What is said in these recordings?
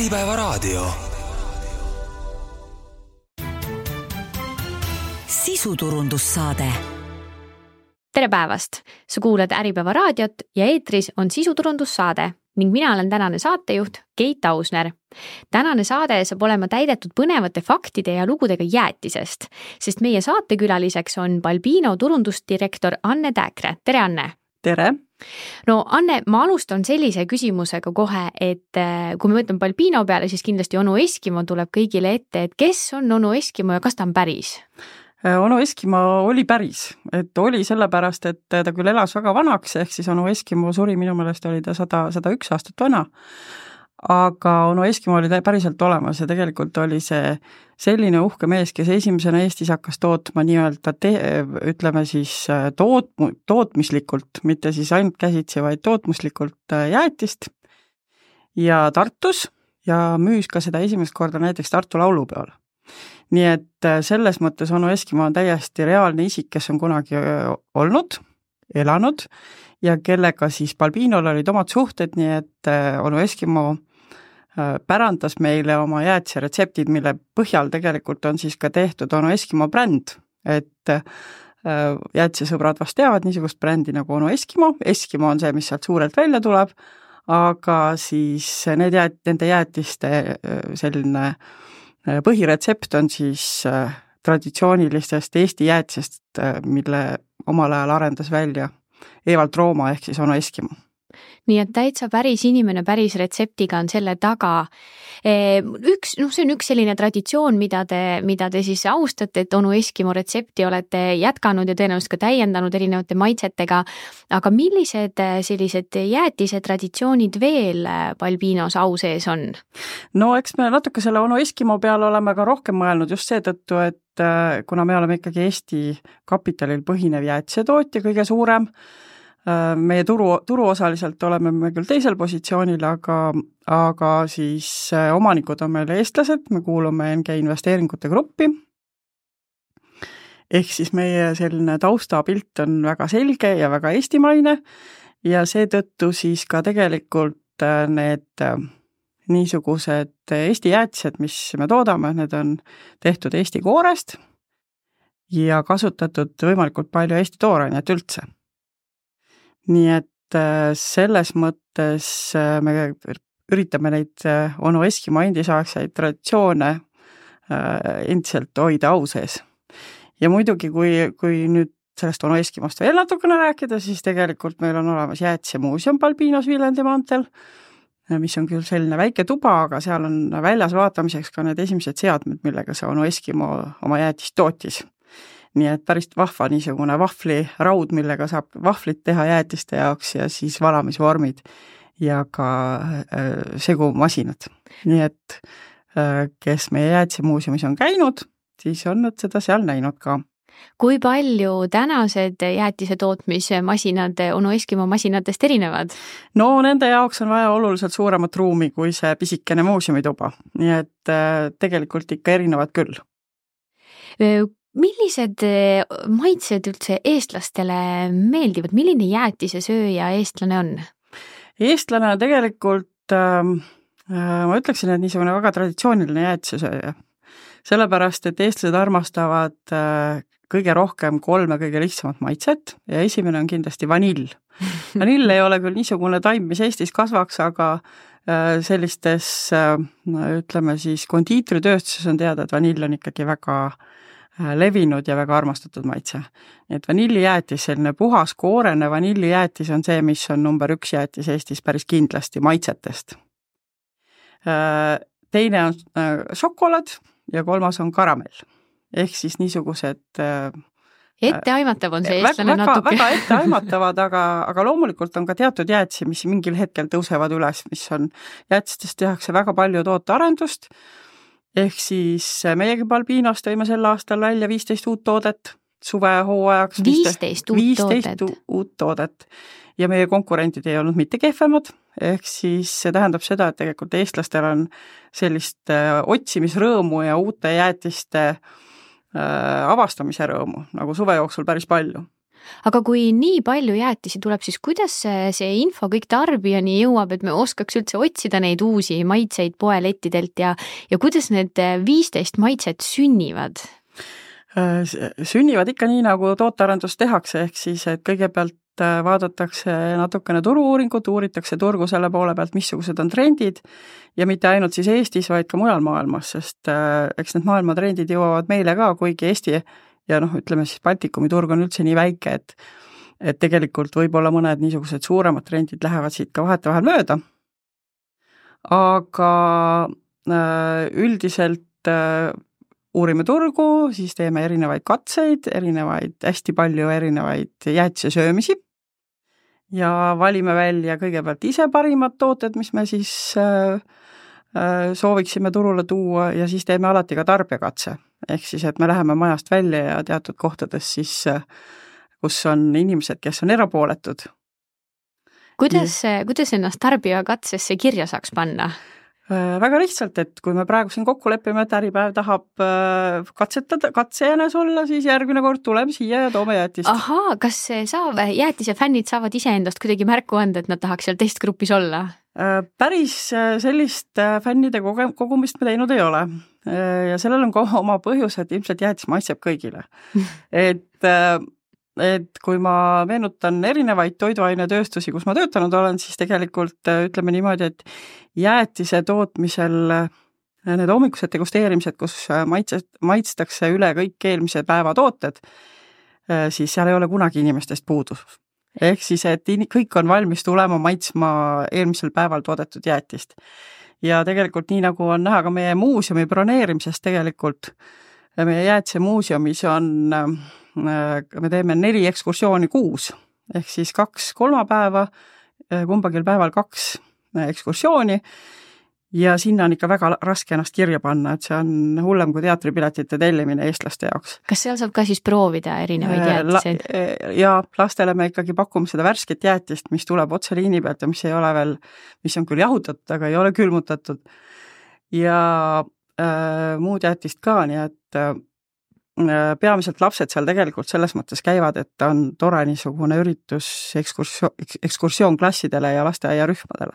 Äripäevaraadio. Sisuturundussaade. Tere päevast! Sa kuulad Äripäevaraadiot ja eetris on sisuturundussaade ning mina olen tänane saatejuht Keit Ausner. Tänane saade saab olema täidetud põnevate faktide ja lugudega jäätisest, sest meie saatekülaliseks on Balbino turundusdirektor Anne Tääkre. Tere, Anne! Tere! No Anne, ma alustan sellise küsimusega kohe, et kui me mõtleme Balbino peale, siis kindlasti onu Eskimo tuleb kõigile ette, et kes on onu Eskimo ja kas ta on päris? Onu Eskimo oli päris, et oli sellepärast, et ta küll elas väga vanaks, ehk siis onu Eskimo suri minu meelest oli ta 101 aastat vana, aga onu Eskimo oli päriselt olemas ja tegelikult oli see selline uhke mees, kes esimesena Eestis hakkas tootma nii-öelda ütleme siis tootmislikult, mitte siis ainult käsitsi, vaid tootmislikult jäätist ja Tartus ja müüs ka seda esimest korda näiteks Tartu laulupeol. Nii et selles mõttes onu Eskimo on täiesti reaalne isik, kes on kunagi olnud, elanud ja kellega siis Balbinol olid omad suhted, nii et onu Eskimo pärandas meile oma jäätise retseptid, mille põhjal tegelikult on siis ka tehtud onu Eskimo bränd, et jäätisesõbrad vast teavad niisugust brändi nagu onu Eskimo. Eskimo on see, mis sealt suurelt välja tuleb, aga siis nende jäätiste selline põhiretsept on siis traditsioonilistest Eesti jäätisest, mille omal ajal arendas välja Evald Rooma ehk siis onu Eskimo. Nii et täitsa päris inimene päris retseptiga on selle taga. See on üks selline traditsioon, mida te siis austate, et onu Eskimo retsepti olete jätkanud ja tõenäoliselt ka täiendanud erinevate maitsetega, aga millised sellised jäätise traditsioonid veel Balbinos au sees on? No eks me natuke selle onu Eskimo peale oleme ka rohkem mõelnud just seetõttu, et kuna me oleme ikkagi Eesti kapitalil põhinev jäätisetootja kõige suurem, meie turuosaliselt oleme me küll teisel positsioonil, aga siis omanikud on meil eestlased, me kuulume NG investeeringute gruppi. Ehk siis meie selline taustapilt on väga selge ja väga eestimaine ja seetõttu siis ka tegelikult need niisugused Eesti jäätised, mis me toodame, need on tehtud Eesti koorest ja kasutatud võimalikult palju Eesti toorainet üldse. Nii et selles mõttes me üritame neid onu Eskimo endisaegseid traditsioone endiselt hoida au sees. Ja muidugi, kui nüüd sellest onu Eskimost veel natukene rääkida, siis tegelikult meil on olemas jäätisemuuseum Balbinos Viljandi maanteel, mis on küll selline väike tuba, aga seal on väljas vaatamiseks ka need esimesed seadmed, millega see onu Eskimo oma jäätist tootis. Nii et päris vahva niisugune vahvliraud, millega saab vahvlit teha jäätiste jaoks ja siis valamisvormid ja ka segumasinad. Nii et kes meie jäätisemuuseumis on käinud, siis on nad seda seal näinud ka. Kui palju tänased jäätise tootmismasinad onu Eskimo masinatest erinevad? No nende jaoks on vaja oluliselt suuremat ruumi kui see pisikene muuseumituba. Nii et tegelikult ikka erinevad küll. Millised maitsed üldse eestlastele meeldivad? Milline jäätise sööja eestlane on? Eestlane on tegelikult, ma ütleksin, et niisugune väga traditsiooniline jäätise sööja. Sellepärast, et eestlased armastavad kõige rohkem 3 kõige lihtsamat maitset ja esimene on kindlasti vanill. Vanill ei ole küll niisugune taim, mis Eestis kasvaks, aga sellistes, ütleme siis, kondiitritööstuses on teada, et vanill on ikkagi väga levinud ja väga armastatud maitse. Et vanillijäätis, selline puhas koorene vanillijäätis on see, mis on number 1 jäätis Eestis päris kindlasti maitsetest. Teine on šokolaad ja 3. on karamell. Ehk siis niisugused etteaimatav on see eestlane natuke. Väga etteaimatavad, aga loomulikult on ka teatud jäätisi, mis mingil hetkel tõusevad üles, mis on jäätistest tehakse väga palju tootearendust. Ehk siis meiegi Balbinos tõime sel aastal välja 15 uut toodet suvehooajaks. 15 uut toodet. Ja meie konkurentid ei olnud mitte kehvemad, ehk siis see tähendab seda, et tegelikult eestlastel on sellist otsimisrõõmu ja uute jäätiste avastamise rõõmu, nagu suve jooksul päris palju. aga kui nii palju jäätisi tuleb, siis kuidas see info kõik tarbijani jõuab, et me oskaks üldse otsida neid uusi maitseid poelettidelt ja kuidas need 15 maitset sünnivad? Sünnivad ikka nii, nagu tootearendus tehakse, ehk siis, et kõigepealt vaadatakse natukene turu-uuringut, uuritakse turgu selle poole pealt, missugused on trendid ja mitte ainult siis Eestis, vaid ka mujal maailmas, sest eks need maailma trendid jõuavad meile ka, kuigi Eesti ja ütleme siis Baltikumi turg on üldse nii väike, et tegelikult võib-olla mõned niisugused suuremad trendid lähevad siit ka vahetevahel mööda. Aga üldiselt uurime turgu, siis teeme erinevaid katseid, hästi palju erinevaid jäätise söömisi ja valime välja kõigepealt ise parimad tooted, mis me siis sooviksime turule tuua ja siis teeme alati ka tarbijakatse. Ehk siis, et me läheme majast välja ja teatud kohtades siis, kus on inimesed, kes on erapooletud. Kuidas ennast tarbijakatsesse kirja saaks panna? Väga lihtsalt, et kui me praegu siin kokku lepime, et Äripäev tahab katsejänes olla, siis järgmine kord tuleme siia ja toome jäätist. Ahaa, kas jäätise fännid saavad ise endast kuidagi märku anda, et nad tahaks seal testgrupis olla? Päris sellist fännide kogumist me teinud ei ole. Ja sellel on ka oma põhjus, et ilmselt jäätis maitseb kõigile. Et kui ma meenutan erinevaid toiduainetööstusi, kus ma töötanud olen, siis tegelikult ütleme niimoodi, et jäätise tootmisel need hommikused degusteerimised, kus maitstakse üle kõik eelmise päeva tooted, siis seal ei ole kunagi inimestest puudu. Ehk siis, et kõik on valmis tulema maitsma eelmisel päeval toodetud jäätist. Ja tegelikult nii nagu on näha ka meie muuseumi broneerimisest tegelikult, meie jäätise muuseumis me teeme 4 ekskursiooni kuus, ehk siis 2 kolmapäeva, kumbagil päeval 2 ekskursiooni ja sinna on ikka väga raske ennast kirja panna, et see on hullem kui teatripiletite tellimine eestlaste jaoks. Kas seal saab ka siis proovida erinevaid jäätiseid? Ja lastele me ikkagi pakume seda värsket jäätist, mis tuleb otse liini pealt ja mis ei ole veel, mis on küll jahutatud, aga ei ole külmutatud. Ja muud jäätist ka, nii et peamiselt lapsed seal tegelikult selles mõttes käivad, et on tore niisugune üritus ekskursioon klassidele ja lasteaiarühmadele.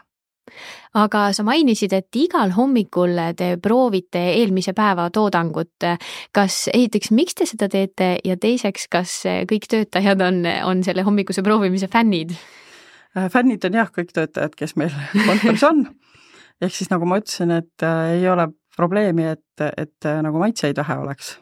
Aga sa mainisid, et igal hommikul te proovite eelmise päeva toodangut. Kas esiteks, miks te seda teete ja teiseks, kas kõik töötajad on selle hommikuse proovimise fännid? Fännid on jah, kõik töötajad, kes meil kontoris on. Ehk siis nagu ma ütlesin, et ei ole probleemi, et nagu maitseid vähe oleks.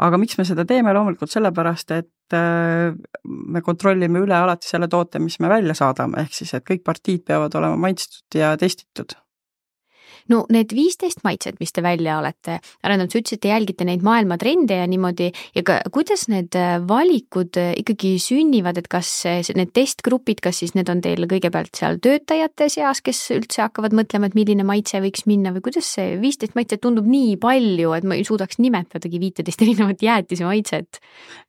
Aga miks me seda teeme loomulikult sellepärast, et me kontrollime üle alati selle toote, mis me välja saadame, ehk siis, et kõik partiid peavad olema maitstud ja testitud. No need 15 maitset, mis te välja olete arendanud, sa ütlesid, et te jälgite neid maailma trende ja niimoodi, ja kuidas need valikud ikkagi sünnivad, et kas need testgrupid, kas siis need on teil kõigepealt seal töötajate seas, kes üldse hakkavad mõtlema, et milline maitse võiks minna või kuidas see 15 maitset tundub nii palju, et ma ei suudaks nimetadagi 15 erinevat jäätise maitset?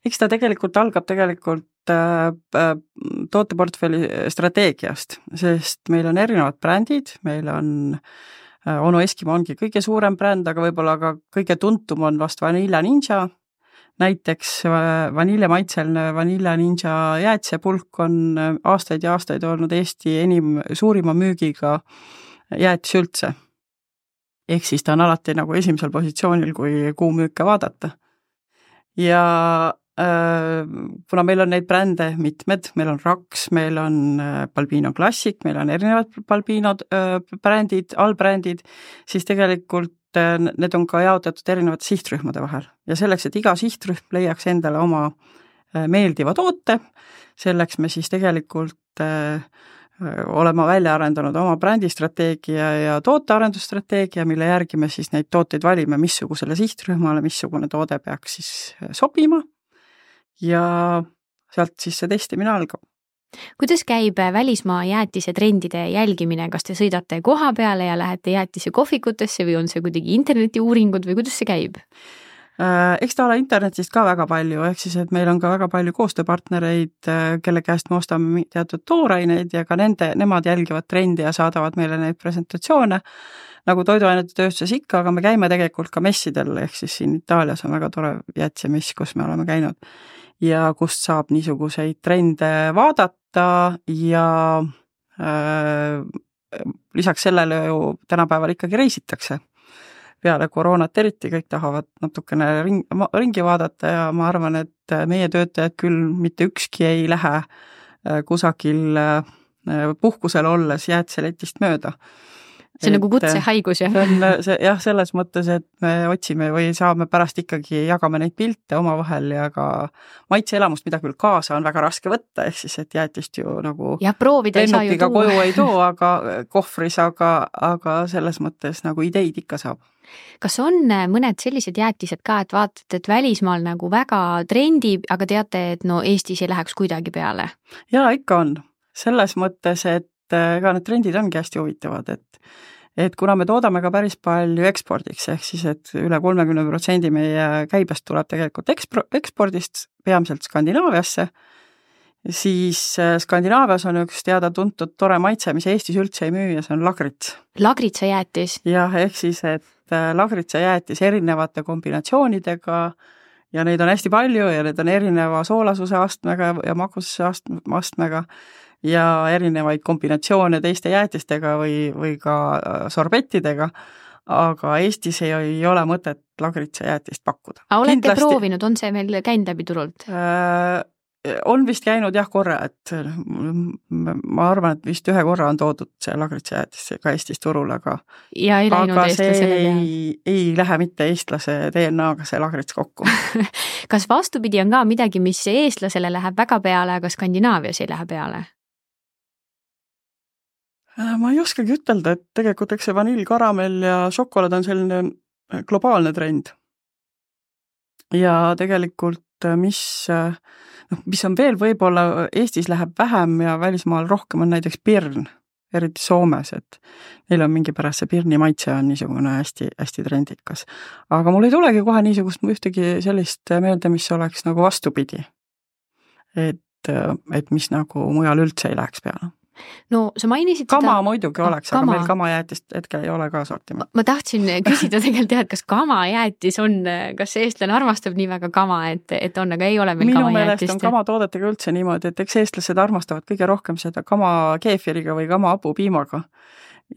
Eks ta tegelikult algab tooteportfelli strateegiast, sest meil on erinevad brändid, meil on Onu Eskimo ongi kõige suurem bränd, aga võib-olla ka kõige tuntum on vast Vanilla Ninja. Näiteks vaniljemaitseline Vanilla Ninja jäätisepulk on aastaid ja aastaid olnud Eesti suurima müügiga jäätis üldse. Ehk siis ta on alati nagu esimesel positsioonil, kui kuumüüke vaadata. Ja kuna meil on neid brände mitmed, meil on Rax, meil on Balbino Classic, meil on erinevad Balbino brändid, allbrändid, siis tegelikult need on ka jaotatud erinevate sihtrühmade vahel. Ja selleks, et iga sihtrühm leiaks endale oma meeldiva toote, selleks me siis tegelikult olema välja arendanud oma brändistrateegia ja tootearendusstrateegia, mille järgi me siis neid tooteid valime, missugusele sihtrühmale, missugune toode peaks siis sobima. Ja sealt siis see testimine algab. Kuidas käib välismaa jäätise trendide jälgimine? Kas te sõidate koha peale ja lähete jäätise kohvikutesse või on see kuidagi interneti uuringud või kuidas see käib? Eks ta ole internetist ka väga palju, ehk siis, et meil on ka väga palju koostööpartnereid, kelle käest me ostame teatud tooraineid ja ka nemad jälgivad trendi ja saadavad meile neid presentatsioone, nagu toiduainete tööstuses ikka, aga me käime tegelikult ka messidel, ehk siis siin Itaalias on väga tore jäätisemess, kus me oleme käinud ja kust saab niisuguseid trende vaadata ja lisaks sellele ju tänapäeval ikkagi reisitakse. Peale koroonat eriti kõik tahavad natukene ringi vaadata ja ma arvan, et meie töötajad küll mitte ükski ei lähe kusagil puhkusel olles jäätiseletist mööda. See on nagu kutsehaigus, jah? Jah, selles mõttes, et me otsime või saame pärast ikkagi jagame neid pilte omavahel ja ka maitseelamust, mida küll kaasa on väga raske võtta, ehk siis, et jäätist ju nagu lennukiga koju ei too, aga kohvris, aga selles mõttes nagu ideid ikka saab. Kas on mõned sellised jäätised ka, et vaatate, et välismaal nagu väga trendib, aga teate, et no Eestis ei läheks kuidagi peale? Jaa, ikka on. Selles mõttes, et ka need trendid ongi hästi huvitavad, et kuna me toodame ka päris palju ekspordiks, ehk siis, et üle 30% meie käibest tuleb tegelikult ekspordist, peamiselt Skandinaaviasse, siis Skandinaavias on üks teada-tuntud tore maitse, mis Eestis üldse ei müü ja see on lagrits. Lagritsajäätis? Jah, ehk siis, et lagritsajäätis erinevate kombinatsioonidega ja neid on hästi palju ja need on erineva soolasuse astmega ja magususe astmega ja erinevaid kombinatsioone teiste jäätistega või ka sorbettidega, aga Eestis ei ole mõtet lagritsajäätist pakkuda. Aga olete proovinud, on see meil käinud läbi turult? On vist käinud jah korra, et ma arvan, et vist ühe korra on toodud see lagritsajäätis ka Eestis turul, aga see ei lähe mitte eestlase DNA-ga see lagrits kokku. Kas vastupidi on ka midagi, mis eestlasele läheb väga peale, aga Skandinaavias ei lähe peale? Ma ei oskagi ütelda, et tegelikult eks see vanill, karamell ja šokolaad on selline globaalne trend. Ja tegelikult mis on veel võib-olla Eestis läheb vähem ja välismaal rohkem on näiteks pirn, eriti Soomes, et neil on mingi pärast see pirni maitse on niisugune hästi, hästi trendikas. Aga mul ei tulegi kohe niisugust ühtegi sellist meelde, mis oleks nagu vastupidi. Et mis nagu mujal üldse ei läheks peale. No sa mainisid kama muidugi oleks, aga meil kamajäätist hetkel ei ole ka sortiment. Ma tahtsin küsida tegelikult teha, et kas kamajäätis on, kas eestlane armastab nii väga kama, et on, aga ei ole meil kamajäätist? Minu meelest on kamatoodetega üldse niimoodi, et eks eestlased armastavad kõige rohkem seda kama keefiriga või kama hapupiimaga.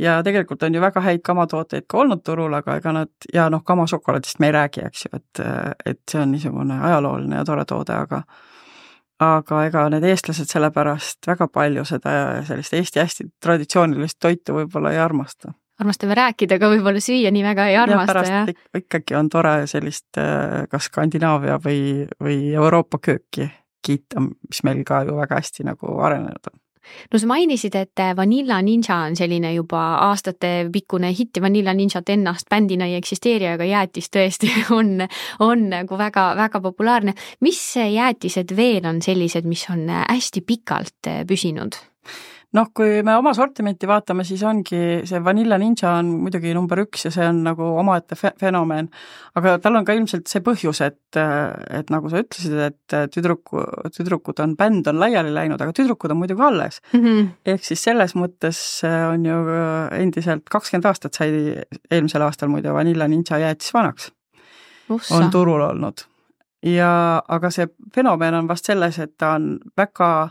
Ja tegelikult on ju väga häid kamatooteid ka olnud turul, aga ega nad, ja kama šokolaadist me ei räägi, eks ju, et see on niisugune ajalooline ja tore toode, aga ega need eestlased sellepärast väga palju seda sellist Eesti hästi traditsioonilist toitu võib-olla ei armasta. Armastame rääkida, aga võib-olla süüa nii väga ei armasta. Ja pärast ikkagi on tore sellist kas Skandinaavia või Euroopa kööki kiita, mis meil ka ju väga hästi nagu arenenud on. No sa mainisid, et Vanilla Ninja on selline juba aastate pikkune hitt ja Vanilla Ninjat ennast bändina ei eksisteeri, aga jäätis tõesti on nagu väga, väga populaarne. Mis jäätised veel on sellised, mis on hästi pikalt püsinud? Kui me oma sortimenti vaatame, siis ongi see Vanilla Ninja on muidugi number 1 ja see on nagu omaette fenomen, aga tal on ka ilmselt see põhjus, et nagu sa ütlesid, et tüdrukud on, bänd on laiali läinud, aga tüdrukud on muidugi alles. Ehk siis selles mõttes on ju endiselt 20 aastat sai eelmisel aastal muide Vanilla Ninja jäätis vanaks. On turul olnud. Aga see fenomen on vast selles, et ta on väga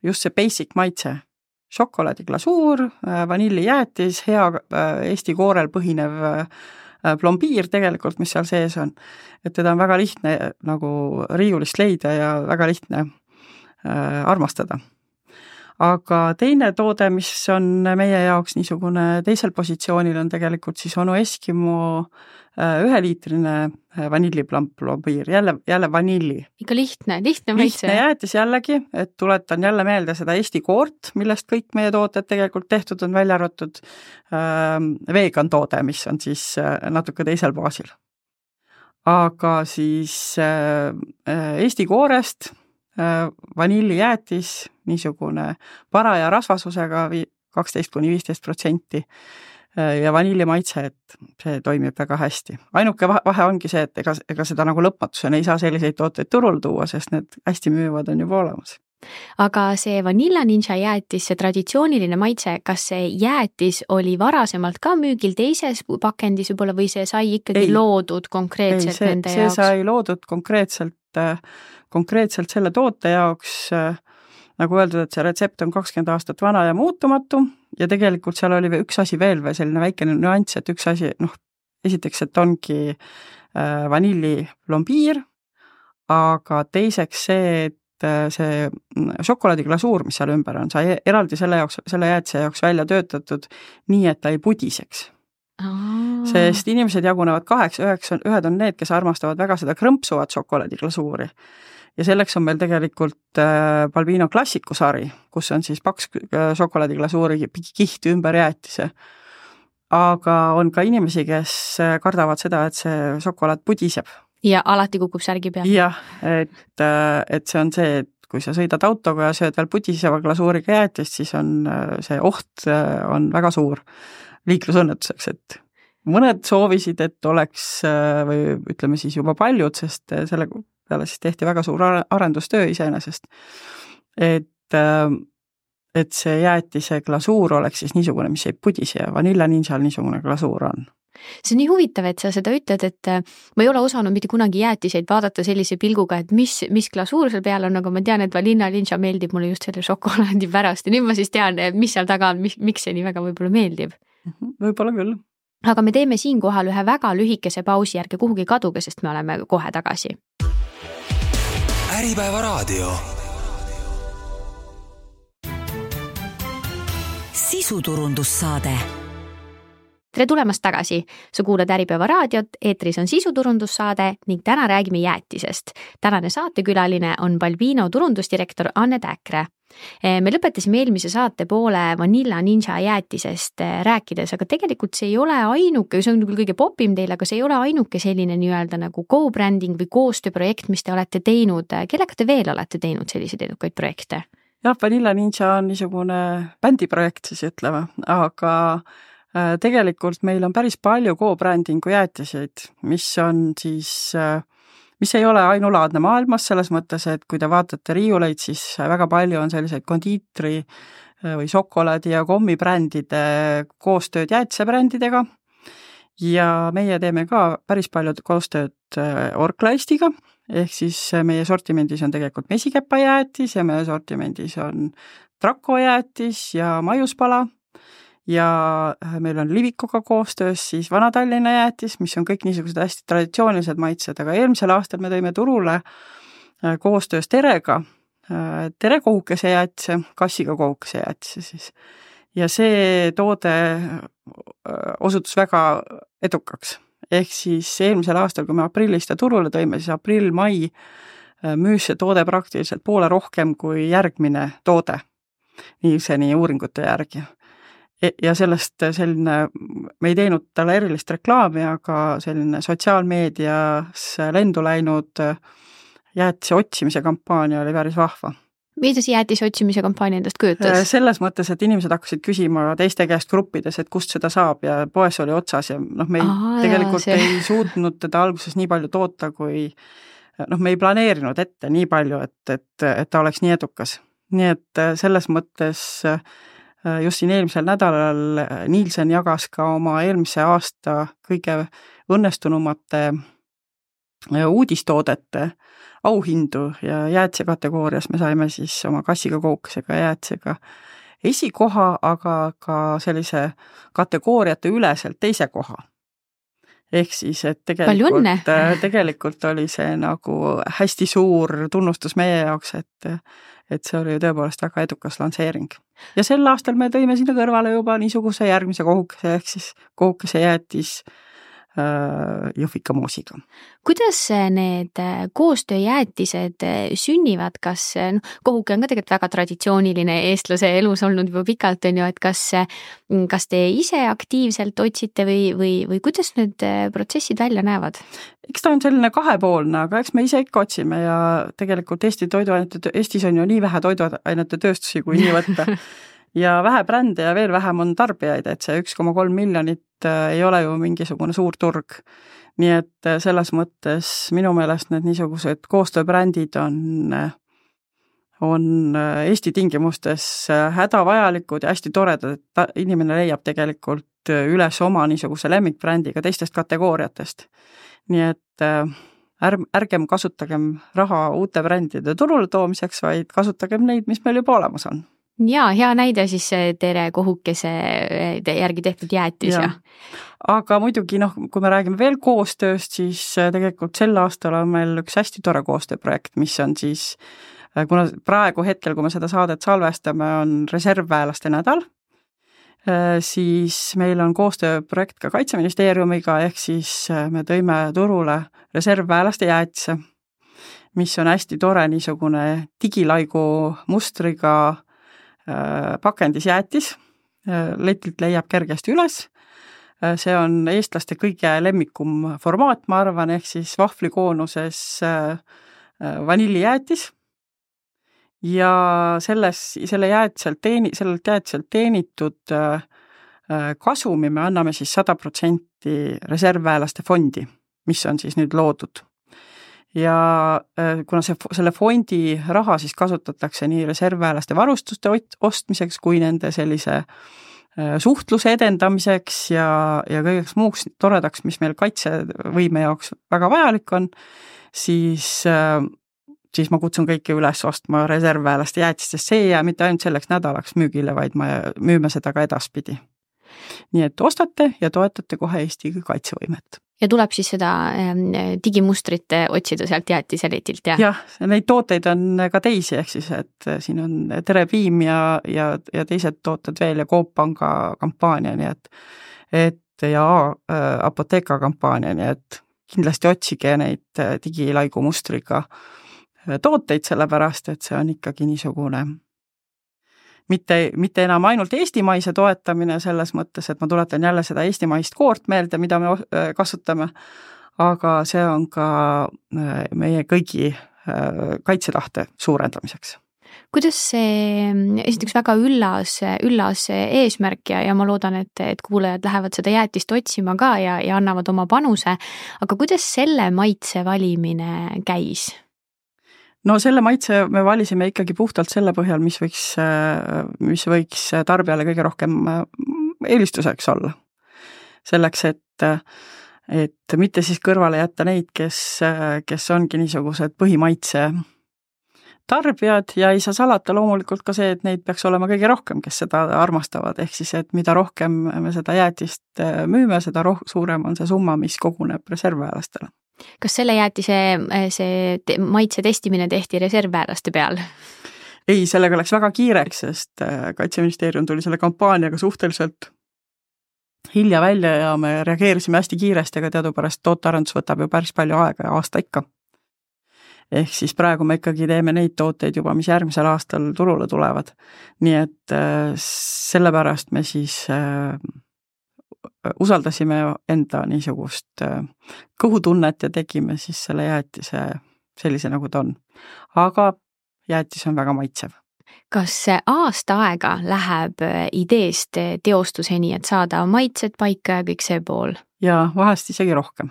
just see basic maitse. Šokolaadiglasuur, vanillijäätis, hea Eesti koorel põhinev plombiir tegelikult, mis seal sees on. Et teda on väga lihtne nagu riiulist leida ja väga lihtne armastada. Aga teine toode, mis on meie jaoks niisugune teisel positsioonil, on tegelikult siis Onu Eskimo 1-liitrine vanilliplombiir, jälle vanilli. Ikka lihtne maitse. Lihtne jäätis jällegi, et tuletan jälle meelde seda Eesti koort, millest kõik meie tooted tegelikult tehtud on välja arvatud vegan toode, mis on siis natuke teisel baasil. Aga siis Eesti koorest vanillijäätis, niisugune paraja rasvasusega 12–15%, ja vanillimaitse, et see toimib väga hästi. Ainuke vahe ongi see, et ega seda nagu lõpmatusena ei saa selliseid tooteid turul tuua, sest need hästi müüvad on juba olemas. Aga see Vanilla Ninja jäätis, see traditsiooniline maitse, kas see jäätis oli varasemalt ka müügil teises pakendis võib-olla või see sai ikkagi loodud konkreetselt nende jaoks? See sai loodud konkreetselt selle toote jaoks, nagu öeldud, et see retsept on 20 aastat vana ja muutumatu ja tegelikult seal oli üks asi veel või selline väikene nüanss, et üks asi, esiteks, et ongi vanilliplombiir, aga teiseks see, et see šokolaadiglasuur, mis seal ümber on, sai eraldi selle jäätise jaoks välja töötatud nii, et ta ei pudiseks. Sest inimesed jagunevad 8-9, ühed on need, kes armastavad väga seda krõmpsuvat šokolaadiglasuuri. Ja selleks on meil tegelikult Balbino klassikusari, kus on siis paks šokolaadiglasuuri kiht ümber jäätise. Aga on ka inimesi, kes kardavad seda, et see šokolaad pudiseb. Ja alati kukub särgi peal. Jah, et see on see, et kui sa sõidad autoga ja sööd veel pudiseva glasuuriga jäätist, siis on see oht on väga suur liiklusõnnetuseks, et mõned soovisid, et oleks või ütleme siis juba paljud, sest selle peale siis tehti väga suur arendustöö iseenesest, et see jäätise glasuur oleks siis niisugune, mis ei pudise ja Vanilla Ninjal niisugune glasuur on. See on nii huvitav, et sa seda ütled, et ma ei ole osanud mitte kunagi jäätiseid vaadata sellise pilguga, et mis glasuur seal peal on, aga ma tean, et Vanilla Ninja meeldib mulle just selle šokolaadi pärast ja nüüd ma siis tean, mis seal taga on, miks see nii väga võib-olla meeldib. Võib-olla küll. Aga me teeme siinkohal ühe väga lühikese pausi, ärge kuhugi kaduge, sest me oleme kohe tagasi. Äripäeva raadio. Sisuturundussaade. Tere tulemast tagasi. Sa kuulad Äripäeva raadiot, eetris on sisuturundussaade ning täna räägime jäätisest. Tänane saatekülaline on Balbino turundusdirektor Anne Täkre. Me lõpetasime eelmise saate poole Vanilla Ninja jäätisest rääkides, aga tegelikult see ei ole ainuke, see on küll kõige popim teil, aga see ei ole ainuke selline nii-öelda nagu co-branding või koostööprojekt, mis te olete teinud. Kellega te veel olete teinud selliseid edukaid projekte? Jah, Vanilla Ninja on niisugune bändiprojekt siis ütleme, aga tegelikult meil on päris palju co-brandingu jäätiseid, mis on siis, mis ei ole ainulaadne maailmas selles mõttes, et kui te vaatate riiuleid, siis väga palju on selliseid kondiitri või šokolaadi ja kommibrändide koostööd jäätisebrändidega ja meie teeme ka päris palju koostööd Orklaistiga, ehk siis meie sortimendis on tegelikult mesikepajäätis ja meie sortimendis on trakojäätis ja maiuspala. Ja meil on Livikoga koostöös siis Vana-Tallinna jäätis, mis on kõik niisugused hästi traditsioonilised maitsed, aga eelmisel aastal me tõime turule koostöös Terega, Tere kohukese jäätise, kassiga kohukese jäätise siis. Ja see toode osutus väga edukaks. Ehk siis eelmisel aastal, kui me aprillis ta turule tõime, siis aprill-mai müüs see toode praktiliselt poole rohkem kui järgmine toode, nii uuringute järgi. Ja sellest selline, me ei teinud talle erilist reklaami, aga selline sotsiaalmeedias lendu läinud jäätise otsimise kampaania oli päris vahva. Mida see jäätise otsimise kampaania endast kujutas? Selles mõttes, et inimesed hakkasid küsima teiste käest gruppides, et kust seda saab ja poes oli otsas ja me tegelikult ei suutnud teda alguses nii palju toota, kui me ei planeerinud ette nii palju, et ta oleks nii edukas. Nii et selles mõttes just siin eelmisel nädalal Nielsen jagas ka oma eelmise aasta kõige õnnestunumate uudistoodete auhindu ja jäätise kategoorias me saime siis oma kassiga koukesega jäätisega esikoha, aga ka sellise kategooriate üleselt teise koha. Ehk siis, et tegelikult oli see nagu hästi suur tunnustus meie jaoks, et see oli tõepoolest väga edukas lansseering. Ja sel aastal me tõime sinna kõrvale juba niisuguse järgmise kohukese, ehk siis kohukese jäätis Jõhvika moosiga. Kuidas need koostööjäätised sünnivad, kas kohuke on ka tegelikult väga traditsiooniline eestlase elus olnud juba pikalt, on ju, et kas te ise aktiivselt otsite või kuidas need protsessid välja näevad? Eks ta on selline kahepoolne, aga eks me ise ikka otsime ja tegelikult Eestis on ju nii vähe toiduainete tööstusi, kui nii võtta. ja vähe brände ja veel vähem on tarbijaid, et see 1,3 miljonit ei ole ju mingisugune suur turg. Nii et selles mõttes minu meelest need niisugused koostööbrändid on Eesti tingimustes hädavajalikud ja hästi toredad, et inimene leiab tegelikult üles oma niisuguse lemmikbrändiga teistest kategooriatest. Nii et ärgem kasutagem raha uute brändide turule toomiseks, vaid kasutagem neid, mis meil juba olemas on. Jaa, hea näide siis Tere Kohukese järgi tehtud jäätis. Ja. Aga muidugi, kui me räägime veel koostööst, siis tegelikult sel aastal on meil üks hästi tore koostööprojekt, mis on siis, kuna praegu hetkel, kui me seda saadet salvestame, on reservväelaste nädal, siis meil on koostööprojekt ka Kaitseministeeriumiga, ehk siis me tõime turule reservväelaste jäätise, mis on hästi tore niisugune digilaigu mustriga pakendis jäätis, letilt leiab kergesti üles. See on eestlaste kõige lemmikum formaat, ma arvan, ehk siis vahvlikoonuses vanillijäätis. Ja sellelt jäätiselt teenitud kasumi me anname siis 100% reservväelaste fondi, mis on siis nüüd loodud. Ja kuna selle fondi raha siis kasutatakse nii reservväelaste varustuste ostmiseks kui nende sellise suhtluse edendamiseks ja kõigeks muuks toredaks, mis meil kaitsevõime jaoks väga vajalik on, siis ma kutsun kõiki üles ostma reservväelaste jäätist, sest see ei jää mitte ainult selleks nädalaks müügile, vaid müüme seda ka edaspidi. Nii et ostate ja toetate kohe Eesti kaitsevõimet. Ja tuleb siis seda digimustrit otsida sealt jäätiseletilt, jah? Jah, neid tooteid on ka teisi, ehk siis, et siin on Tere Piim ja teised tooted veel ja Coop Panga kampaania, nii et ja Apotheka kampaania, nii et kindlasti otsige neid digilaigu mustriga tooteid, sellepärast, et see on ikkagi niisugune mitte enam ainult eestimaise toetamine selles mõttes, et ma tuletan jälle seda eestimaist koort meelde, mida me kasutame, aga see on ka meie kõigi kaitsetahte suurendamiseks. Kuidas see esiteks väga üllas eesmärk ja ma loodan, et kuulajad lähevad seda jäätist otsima ka ja annavad oma panuse, aga kuidas selle maitse valimine käis? No selle maitse me valisime ikkagi puhtalt selle põhjal, mis võiks tarbijale kõige rohkem eelistuseks olla. Selleks, et mitte siis kõrvale jätta neid, kes ongi niisugused põhimaitse tarbijad ja ei saa salata loomulikult ka see, et neid peaks olema kõige rohkem, kes seda armastavad, ehk siis, et mida rohkem me seda jäätist müüme, seda suurem on see summa, mis koguneb reservväelastele. Kas selle jäätise maitse testimine tehti reservväelaste peal? Ei, sellega läks väga kiireks, sest Kaitseministeerium tuli selle kampaaniaga suhteliselt hilja välja ja me reageerisime hästi kiiresti, aga teadupärast tootearendus võtab ju päris palju aega ja aasta ikka. Ehk siis praegu me ikkagi teeme neid tooteid juba, mis järgmisel aastal turule tulevad. Nii et sellepärast me siis usaldasime enda niisugust kõhutunnet ja tegime siis selle jäätise sellise, nagu ta on. Aga jäätis on väga maitsev. Kas aasta aega läheb ideest teostuseni, et saada maitsed paika ja kõik see pool? Ja vahest isegi rohkem.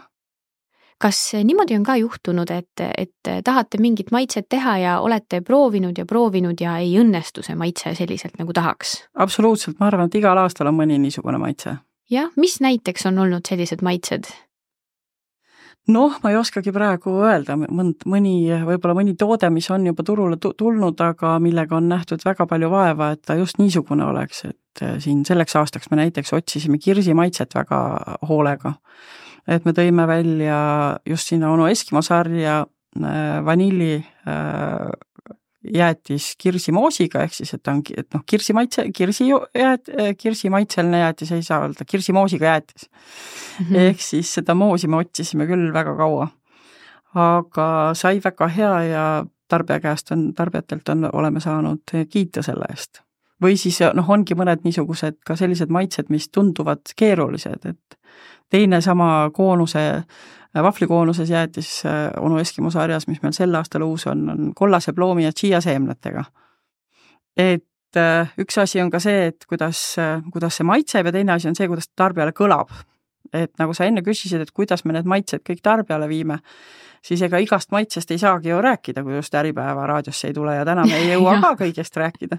Kas niimoodi on ka juhtunud, et tahate mingit maitset teha ja olete proovinud ja ei õnnestu see maitse selliselt, nagu tahaks? Absoluutselt, ma arvan, et igal aastal on mõni niisugune maitse. Jah, mis näiteks on olnud sellised maitsed? Ma ei oskagi praegu öelda, võib-olla mõni toode, mis on juba turule tulnud, aga millega on nähtud väga palju vaeva, et ta just niisugune oleks, et siin selleks aastaks me näiteks otsisime kirsimaitset väga hoolega. Et me tõime välja just sinna Onu Eskimo sarja vanilli jäätis kirsimoosiga, ehk siis, et kirsimaitseline jäätis ei saa öelda, kirsimoosiga jäätis. Ehk siis seda moosi me otsisime küll väga kaua. Aga sai väga hea ja tarbijatelt oleme saanud kiita selle eest. Või siis ongi mõned niisugused ka sellised maitsed, mis tunduvad keerulised, et teine sama vahvlikoonuses jäätis Onu Eskimo sarjas, mis meil sel aastal uus on kollase ploomi ja chia seemnetega. Et üks asi on ka see, et kuidas see maitseb ja teine asi on see, kuidas tarbijale kõlab. Et nagu sa enne küsisid, et kuidas me need maitsed kõik tarbijale viime, siis ega igast maitsest ei saagi ju rääkida, kui just Äripäeva raadiosse ei tule ja täna me ei jõua ka kõigest rääkida.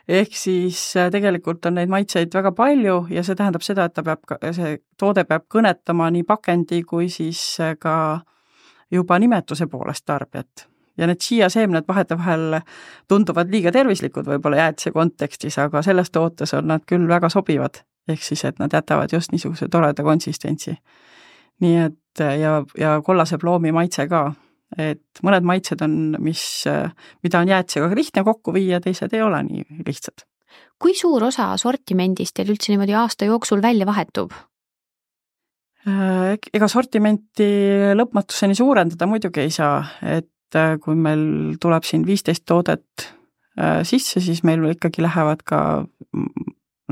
Ehk siis tegelikult on neid maitseid väga palju ja see tähendab seda, et see toode peab kõnetama nii pakendi kui siis ka juba nimetuse poolest tarbijat. Ja need siiaseemned vahetevahel tunduvad liiga tervislikud võib-olla jäätise kontekstis, aga selles tootes on nad küll väga sobivad. Ehk siis, et nad jätavad just niisuguse toreda konsistentsi. Nii et ja kollase ploomi maitse ka, et mõned maitsed on, mida on jäätisega lihtne kokku viia, teised ei ole nii lihtsad. Kui suur osa sortimendist teil üldse niimoodi aasta jooksul välja vahetub? Ega sortimenti lõpmatuseni suurendada muidugi ei saa, et kui meil tuleb siin 15 toodet sisse, siis meil ikkagi lähevad ka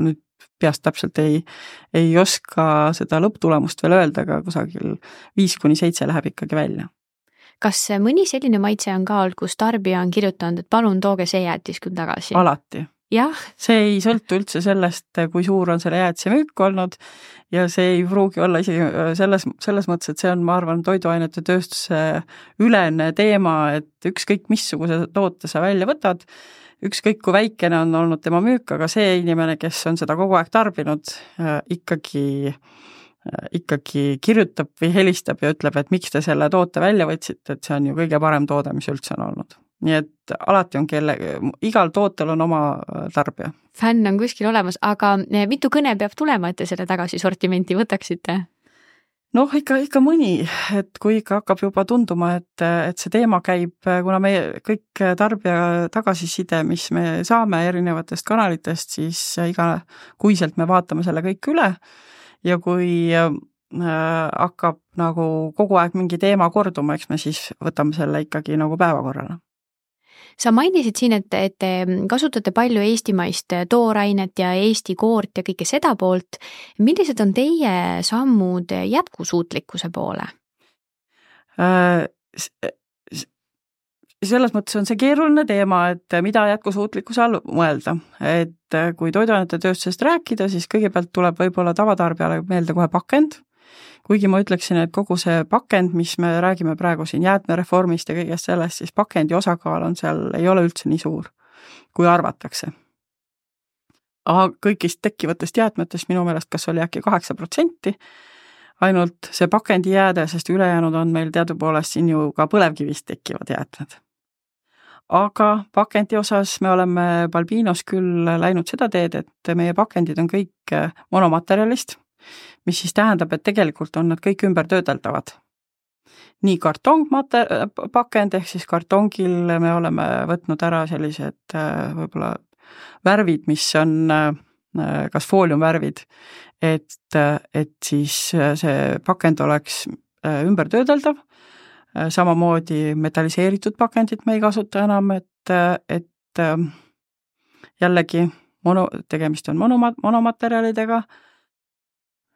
nüüd peast täpselt ei oska seda lõpptulemust veel öelda, aga kusagil 5-7 läheb ikkagi välja. Kas mõni selline maitse on ka olnud, kus tarbija on kirjutanud, et palun tooge see jäätis küll tagasi? Alati. Jah. See ei sõltu üldse sellest, kui suur on selle jäätise müük olnud ja see ei pruugi olla isegi selles mõttes, et see on, ma arvan, toiduainete tööstuse ülene teema, et ükskõik missuguse toote sa välja võtad, ükskõik kui väikene on olnud tema müük, aga see inimene, kes on seda kogu aeg tarbinud, ikkagi kirjutab või helistab ja ütleb, et miks te selle toote välja võtsite, et see on ju kõige parem toode, mis üldse on olnud. Nii et alati on igal tootel on oma tarbija. Fänn on kuskil olemas, aga mitu kõne peab tulema, et te selle tagasi sortimenti võtaksite? Noh, ikka mõni, et kui ikka hakkab juba tunduma, et see teema käib, kuna meie kõik tarbija tagasiside, mis me saame erinevatest kanalitest, siis kuiselt me vaatame selle kõik üle ja kui hakkab nagu kogu aeg mingi teema korduma, eks me siis võtame selle ikkagi nagu päevakorrale. Sa mainisid siin, et te kasutate palju eestimaist toorainet ja Eesti koort ja kõike seda poolt. Millised on teie sammud jätkusuutlikkuse poole? Selles mõttes on see keeruline teema, et mida jätkusuutlikkuse all mõelda. Et kui toiduainete tööstusest rääkida, siis kõigepealt tuleb võib-olla tavatarbijale meelde kohe pakend. Kuigi ma ütleksin, et kogu see pakend, mis me räägime praegu siin jäätmereformist ja kõigest sellest, siis pakendi osakaal on seal, ei ole üldse nii suur, kui arvatakse. Aga kõigist tekkivatest jäätmetest minu meelest kas oli äkki 8%, ainult see pakendi jääde, sest ülejäänud on meil teadupoolest siin ju ka põlevkivist tekkivad jäätmed. Aga pakendi osas me oleme Balbinos küll läinud seda teed, et meie pakendid on kõik monomaterjalist, mis siis tähendab, et tegelikult on nad kõik ümber töödeldavad. Nii kartongpakend, ehk siis kartongil me oleme võtnud ära sellised võib-olla värvid, mis on kas fooliumvärvid, et siis see pakend oleks ümber töödeldav. Samamoodi metalliseeritud pakendit me ei kasuta enam, et jällegi tegemist on monomaterjalidega.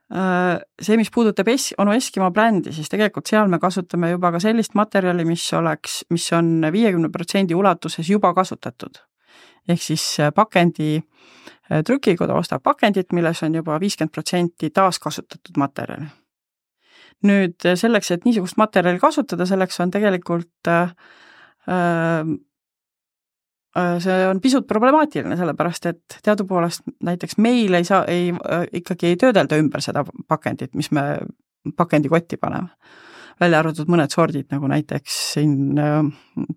See, mis puudutab Onu Eskimo brändi, siis tegelikult seal me kasutame juba ka sellist materjali, mis on 50% ulatuses juba kasutatud. Ehk siis pakendi trükikoda ostab pakendit, milles on juba 50% taaskasutatud materjali. Nüüd selleks, et niisugust materjali kasutada, selleks on tegelikult see on pisut problemaatiline, sellepärast, et teadupoolest näiteks meil ikkagi ei töödelda ümber seda pakendit, mis me pakendikotti paneme. Välja arvatud mõned sordid, nagu näiteks siin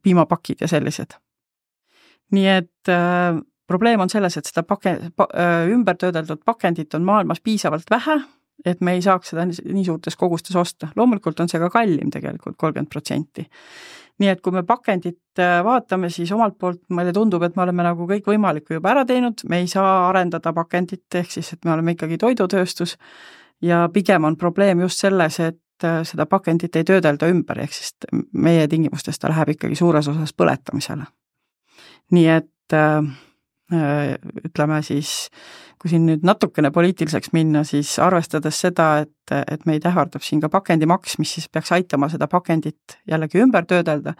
piimapakid ja sellised. Nii et probleem on selles, et seda ümber töödeldud pakendit on maailmas piisavalt vähe, et me ei saaks seda nii suurtes kogustes osta. Loomulikult on see ka kallim tegelikult 30%. Nii et kui me pakendit vaatame, siis omalt poolt meile tundub, et me oleme nagu kõik võimalikku juba ära teinud, me ei saa arendada pakendit, ehk siis, et me oleme ikkagi toidutööstus ja pigem on probleem just selles, et seda pakendit ei töödelda ümber, ehk siis meie tingimustes ta läheb ikkagi suures osas põletamisele. Nii et ütleme siis, kui siin nüüd natukene poliitiliseks minna, siis arvestades seda, et meid ähvardab siin ka pakendimaks, mis siis peaks aitama seda pakendit jällegi ümber töödelda,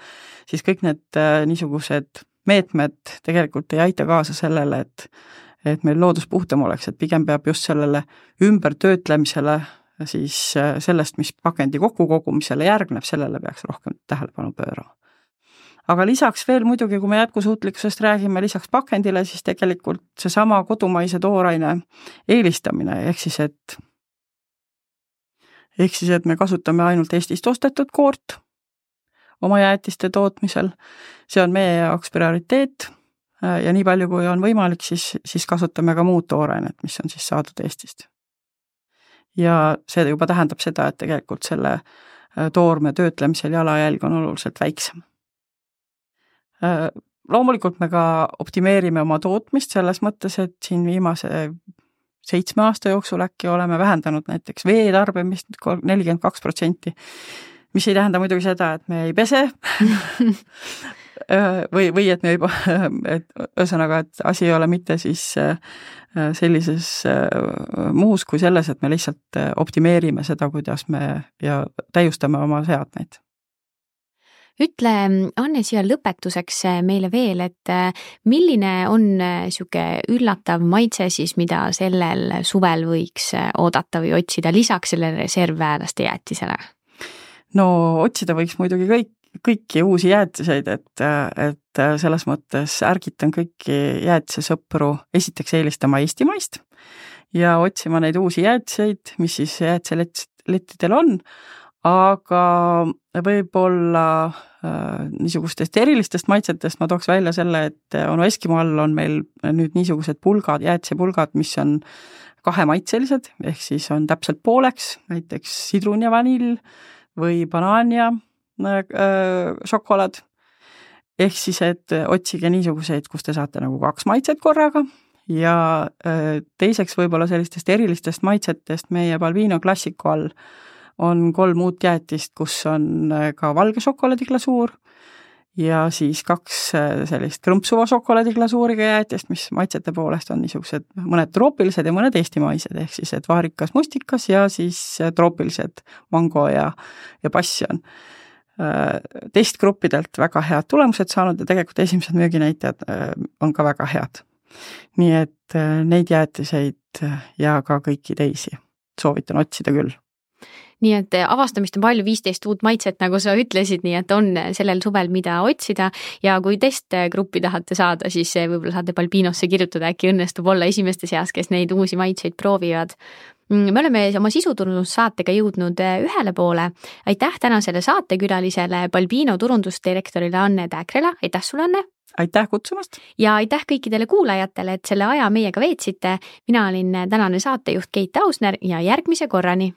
siis kõik need niisugused meetmed tegelikult ei aita kaasa sellele, et meil loodus puhtam oleks, et pigem peab just sellele ümbertöötlemisele siis sellest, mis pakendi kokkukogumisele järgneb, sellele peaks rohkem tähelepanu pöörama. Aga lisaks veel muidugi, kui me jätkusuutlikkusest räägime, lisaks pakendile, siis tegelikult seesama kodumaise tooraine eelistamine, ehk siis, et me kasutame ainult Eestist ostetud koort oma jäätiste tootmisel, see on meie jaoks prioriteet ja nii palju, kui on võimalik, siis kasutame ka muud toorainet, mis on siis saadud Eestist. Ja see juba tähendab seda, et tegelikult selle toorme töötlemisel jalajälg on oluliselt väiksem. Loomulikult me ka optimeerime oma tootmist selles mõttes, et siin viimase 7 aasta jooksul äkki oleme vähendanud näiteks veetarbimist 42%, mis ei tähenda muidugi seda, et me ei pese või et me ühesõnaga, et asi ei ole mitte siis sellises muus kui selles, et me lihtsalt optimeerime seda, kuidas me ja täiustame oma seadmeid. Ütle, Anne, siia lõpetuseks meile veel, et milline on siuke üllatav maitse siis, mida sellel suvel võiks oodata või otsida lisaks sellele reservväelaste jäätisele? No otsida võiks muidugi kõiki uusi jäätiseid, et selles mõttes ärgitan kõiki jäätisesõpru esiteks eelistama eestimaist ja otsima neid uusi jäätiseid, mis siis jäätiselettidel on, aga võib-olla niisugustest erilistest maitsetest ma tooks välja selle, et Onu Eskimo all on meil nüüd niisugused pulgad, jäätisepulgad, mis on 2-maitselised, ehk siis on täpselt pooleks, näiteks sidrun ja vanill või banaan ja šokolaad. Ehk siis, et otsige niisuguseid, kus te saate nagu 2 maitset korraga ja teiseks võib-olla sellistest erilistest maitsetest meie Balbino Classico all on 3 uut jäätist, kus on ka valge šokolaadiglasuur ja siis 2 sellist krõmpsuva šokolaadiglasuuriga jäätist, mis maitsete poolest on niisugused mõned troopilised ja mõned eestimaised, ehk siis, et vaarikas mustikas ja siis troopilised mango ja passion. Testgruppidelt väga head tulemused saanud ja tegelikult esimesed müüginäitajad on ka väga head. Nii et neid jäätiseid ja ka kõiki teisi soovitan otsida küll. Nii et avastamist on palju, 15 uut maitset, nagu sa ütlesid, nii et on sellel suvel mida otsida ja kui testgruppi tahate saada, siis võib-olla saate Balbinosse kirjutada, äkki õnnestub olla esimeste seas, kes neid uusi maitseid proovivad. Me oleme oma sisuturundussaatega jõudnud ühele poole. Aitäh tänasele saatekülalisele Balbino turundusdirektorile Anne Täkrela. Aitäh sulle, Anne! Aitäh kutsumast! Ja aitäh kõikidele kuulajatele, et selle aja meiega veetsite. Mina olin tänane saatejuht Keit Ausner ja järgmise korrani!